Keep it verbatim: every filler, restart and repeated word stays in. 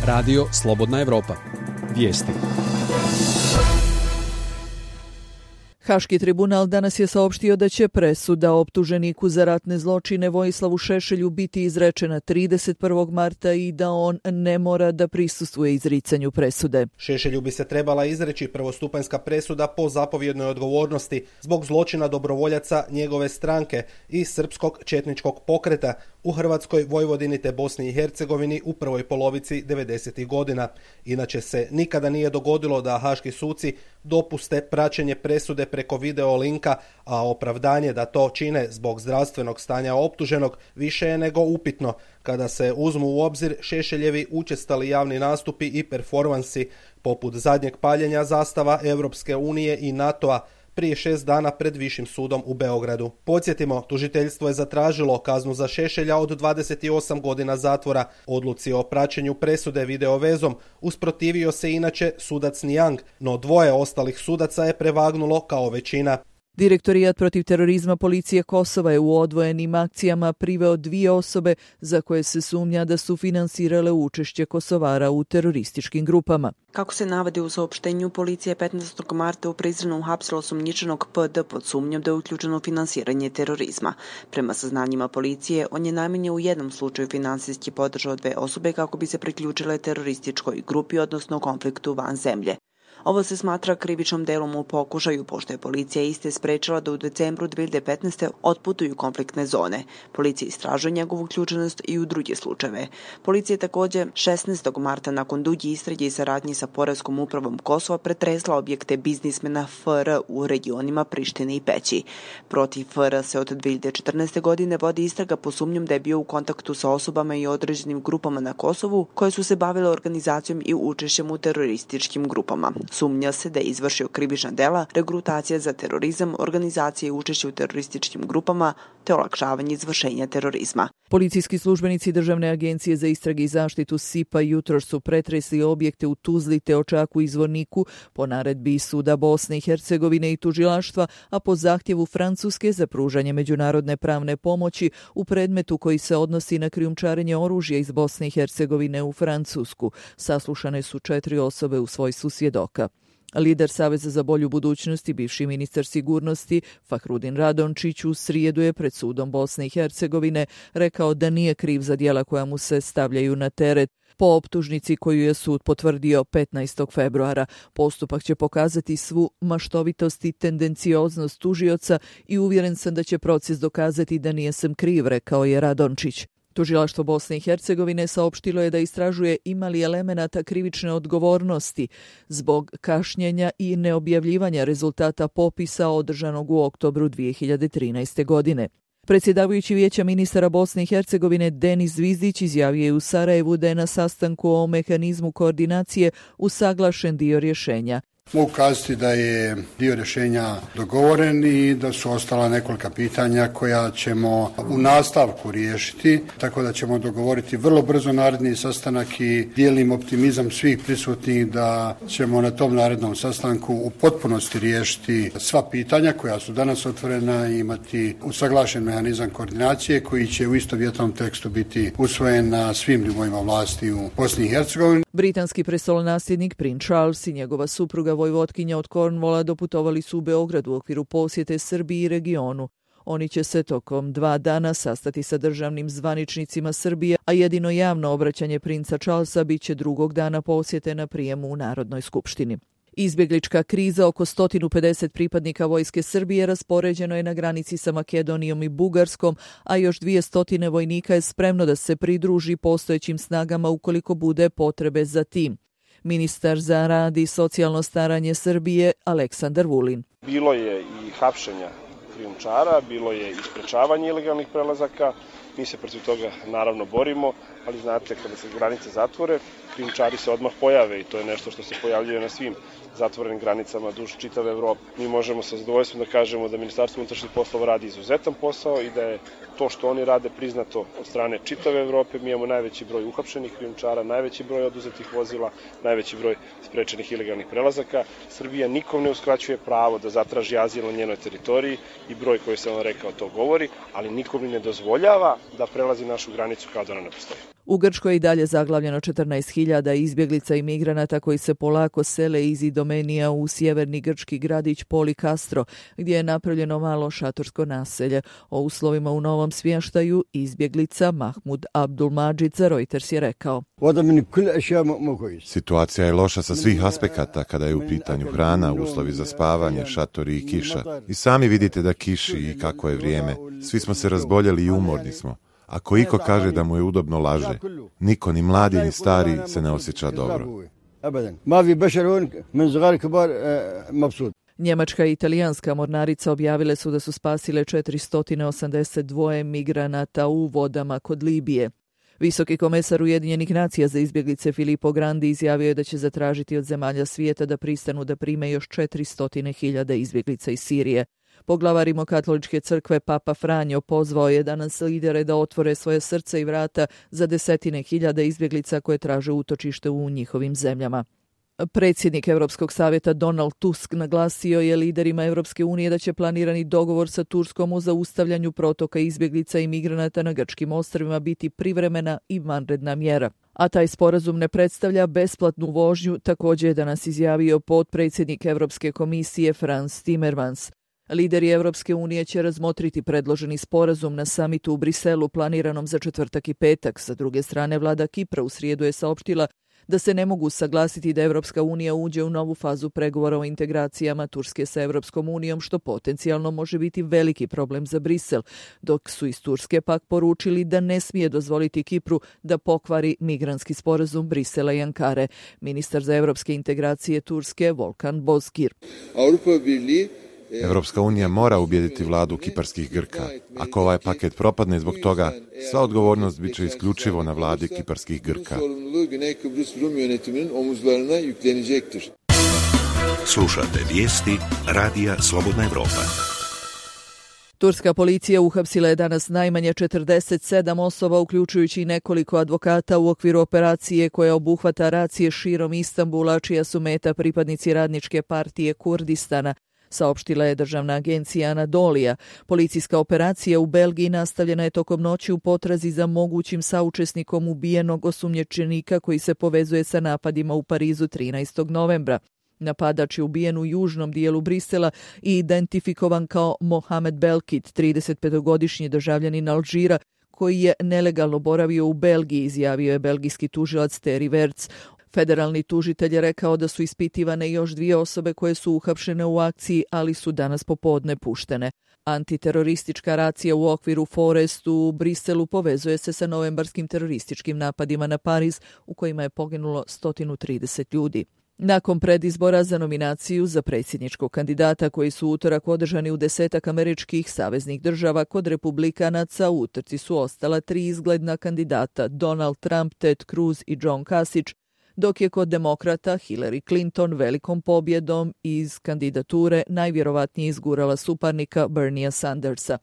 Radio Slobodna Evropa. Vijesti. Haški tribunal danas je saopštio da će presuda optuženiku za ratne zločine Vojislavu Šešelju biti izrečena trideset prvog marta i da on ne mora da prisustvuje izricanju presude. Šešelju bi se trebala izreći prvostupanjska presuda po zapovjednoj odgovornosti zbog zločina dobrovoljaca njegove stranke i srpskog četničkog pokreta u Hrvatskoj, Vojvodini te Bosni i Hercegovini u prvoj polovici devedesetih godina. Inače se nikada nije dogodilo da haški suci dopuste praćenje presude preko video linka, a opravdanje da to čine zbog zdravstvenog stanja optuženog više je nego upitno kada se uzmu u obzir Šešeljevi učestali javni nastupi i performansi poput zadnjeg paljenja zastava Europske unije i NATO-a prije šest dana pred Višim sudom u Beogradu. Podsjetimo, tužiteljstvo je zatražilo kaznu za Šešelja od dvadeset osam godina zatvora. Odluci o praćenju presude videovezom usprotivio se inače sudac Nijang, no dvoje ostalih sudaca je prevagnulo kao većina. Direktorijat protiv terorizma policije Kosova je u odvojenim akcijama priveo dvije osobe za koje se sumnja da su finansirale učešće Kosovara u terorističkim grupama. Kako se navodi u saopštenju, policija je petnaestog marta u Prizrenu uhapsila osumnjičenog P D pod sumnjom da je uključeno u finansiranje terorizma. Prema saznanjima policije, on je najmanje u jednom slučaju finansijski podržao dve osobe kako bi se priključile terorističkoj grupi, odnosno konfliktu van zemlje. Ovo se smatra krivičnom delom u pokušaju, pošto je policija iste sprečila da u decembru dve hiljade petnaeste otputuju konfliktne zone. Policija istražuje njegovu uključenost i u druge slučajeve. Policija je također šesnaestog marta nakon duge istrage i saradnji sa Poreskom upravom Kosova pretresla objekte biznismena F R u regionima Prištine i Peći. Protiv F R se od dve hiljade četrnaeste. godine vodi istraga po sumnjom da je bio u kontaktu sa osobama i određenim grupama na Kosovu koje su se bavile organizacijom i učešćem u terorističkim grupama. Sumnja se da je izvršio krivična dela, regrutacija za terorizam, organizacije i učešće u terorističkim grupama te olakšavanje izvršenja terorizma. Policijski službenici Državne agencije za istrage i zaštitu S I P A jutros su pretresli objekte u Tuzli te Očaku i Zvorniku po naredbi Suda Bosne i Hercegovine i tužilaštva, a po zahtjevu Francuske za pružanje međunarodne pravne pomoći u predmetu koji se odnosi na krijumčarenje oružja iz Bosne i Hercegovine u Francusku. Saslušane su četiri osobe u svojstvu svjedoka. Lider Saveza za bolju budućnost i bivši ministar sigurnosti Fahrudin Radončić u srijedu je pred sudom Bosne i Hercegovine rekao da nije kriv za djela koja mu se stavljaju na teret. Po optužnici koju je sud potvrdio petnaestog februara, postupak će pokazati svu maštovitost i tendencioznost tužioca i uvjeren sam da će proces dokazati da nije sam kriv, rekao je Radončić. Tužilaštvo Bosne i Hercegovine saopštilo je da istražuje ima li elemenata krivične odgovornosti zbog kašnjenja i neobjavljivanja rezultata popisa održanog u oktobru dvije hiljade trinaeste. godine. Predsjedavajući Vijeća ministara Bosne i Hercegovine Denis Zvizdić izjavio je u Sarajevu da je na sastanku o mehanizmu koordinacije usaglašen dio rješenja. Mogu kazati da je dio rješenja dogovoren i da su ostala nekolika pitanja koja ćemo u nastavku riješiti, tako da ćemo dogovoriti vrlo brzo naredni sastanak i dijelim optimizam svih prisutnih da ćemo na tom narednom sastanku u potpunosti riješiti sva pitanja koja su danas otvorena i imati usaglašen mehanizam koordinacije koji će u istovjetnom tekstu biti usvojen na svim nivoima vlasti u Bosni i Hercegovini. Britanski prestolonasljednik Prince Charles i njegova supruga vojvotkinja od Cornwalla doputovali su u Beograd u okviru posjete Srbiji i regionu. Oni će se tokom dva dana sastati sa državnim zvaničnicima Srbije, a jedino javno obraćanje princa Charlesa bit će drugog dana posjete na prijemu u Narodnoj skupštini. Izbjeglička kriza oko sto pedeset pripadnika vojske Srbije raspoređeno je na granici sa Makedonijom i Bugarskom, a još dvjesto vojnika je spremno da se pridruži postojećim snagama ukoliko bude potrebe za tim. Ministar za rad i socijalno staranje Srbije Aleksandar Vulin. Bilo je i hapšenja krijumčara, bilo je i sprečavanje ilegalnih prelazaka. Mi se protiv toga naravno borimo, ali znate, kada se granice zatvore, krijumčari se odmah pojave i to je nešto što se pojavljuje na svim zatvorenim granicama duž čitave Evrope. Mi možemo sa zadovoljstvom da kažemo da Ministarstvo unutrašnjih poslova radi izuzetan posao i da je to što oni rade priznato od strane čitave Evrope. Mi imamo najveći broj uhapšenih krijumčara, najveći broj oduzetih vozila, najveći broj sprečenih ilegalnih prelazaka. Srbija nikom ne uskraćuje pravo da zatraži azil na njenoj teritoriji i broj koji sam vam rekao to govori, ali nikom ne dozvoljava da prelazi našu granicu kao da ona ne postoji. U Grčkoj je i dalje zaglavljeno četrnaest hiljada izbjeglica i migranata koji se polako sele iz Idomenija u sjeverni grčki gradić Polikastro, gdje je napravljeno malo šatorsko naselje. O uslovima u novom smještaju izbjeglica Mahmud Abdulmadžid za Reuters je rekao: Situacija je loša sa svih aspekata kada je u pitanju hrana, uslovi za spavanje, šatori i kiša. I sami vidite da kiši i kako je vrijeme. Svi smo se razboljeli i umorni smo. Ako iko kaže da mu je udobno, laže. Niko, ni mladi ni stari, se ne osjeća dobro. Njemačka i italijanska mornarica objavile su da su spasile četiristo osamdeset dva migranata u vodama kod Libije. Visoki komesar Ujedinjenih nacija za izbjeglice Filippo Grandi izjavio je da će zatražiti od zemalja svijeta da pristanu da prime još četiristo hiljada izbjeglica iz Sirije. Poglavar Rimokatoličke crkve Papa Franjo pozvao je danas lidere da otvore svoje srce i vrata za desetine hiljada izbjeglica koje traže utočište u njihovim zemljama. Predsjednik Europskog savjeta Donald Tusk naglasio je liderima Europske unije da će planirani dogovor sa Turskom o zaustavljanju protoka izbjeglica i migranata na grčkim ostrvima biti privremena i vanredna mjera. A taj sporazum ne predstavlja besplatnu vožnju, također je danas izjavio potpredsjednik Europske komisije Frans Timmermans. Lideri Europske unije će razmotriti predloženi sporazum na samitu u Briselu planiranom za četvrtak i petak. Sa druge strane, vlada Kipra u srijedu je saopštila da se ne mogu saglasiti da Europska unija uđe u novu fazu pregovora o integracijama Turske sa Europskom unijom, što potencijalno može biti veliki problem za Brisel, dok su iz Turske pak poručili da ne smije dozvoliti Kipru da pokvari migrantski sporazum Brisela i Ankare. Ministar za europske integracije Turske Volkan Bozkir. Europska unija mora ubijediti vladu kiparskih Grka. Ako ovaj paket propadne zbog toga, sva odgovornost bit će isključivo na vladi kiparskih Grka. Slušate vijesti Radija Slobodna Evropa. Turska policija uhapsila je danas najmanje četrdeset sedam osoba, uključujući nekoliko advokata u okviru operacije koja obuhvata racije širom Istanbula, čija su meta pripadnici radničke partije Kurdistana, saopštila je državna agencija Anadolija. Policijska operacija u Belgiji nastavljena je tokom noći u potrazi za mogućim saučesnikom ubijenog osumnjičenika koji se povezuje sa napadima u Parizu trinaestog novembra. Napadač je ubijen u južnom dijelu Brisela i identifikovan kao Mohamed Belkit, tridesetpetogodišnji državljanin Alžira, koji je nelegalno boravio u Belgiji, izjavio je belgijski tužilac Thierry Verts. Federalni tužitelj je rekao da su ispitivane još dvije osobe koje su uhapšene u akciji, ali su danas popodne puštene. Antiteroristička racija u okviru Forest u Briselu povezuje se sa novembarskim terorističkim napadima na Pariz, u kojima je poginulo sto trideset ljudi. Nakon predizbora za nominaciju za predsjedničkog kandidata koji su utorak održani u desetak američkih saveznih država, kod republikanaca u utrci su ostala tri izgledna kandidata, Donald Trump, Ted Cruz i John Kasich, dok je kod demokrata Hillary Clinton velikom pobjedom iz kandidature najvjerovatnije izgurala suparnika Berniea Sandersa.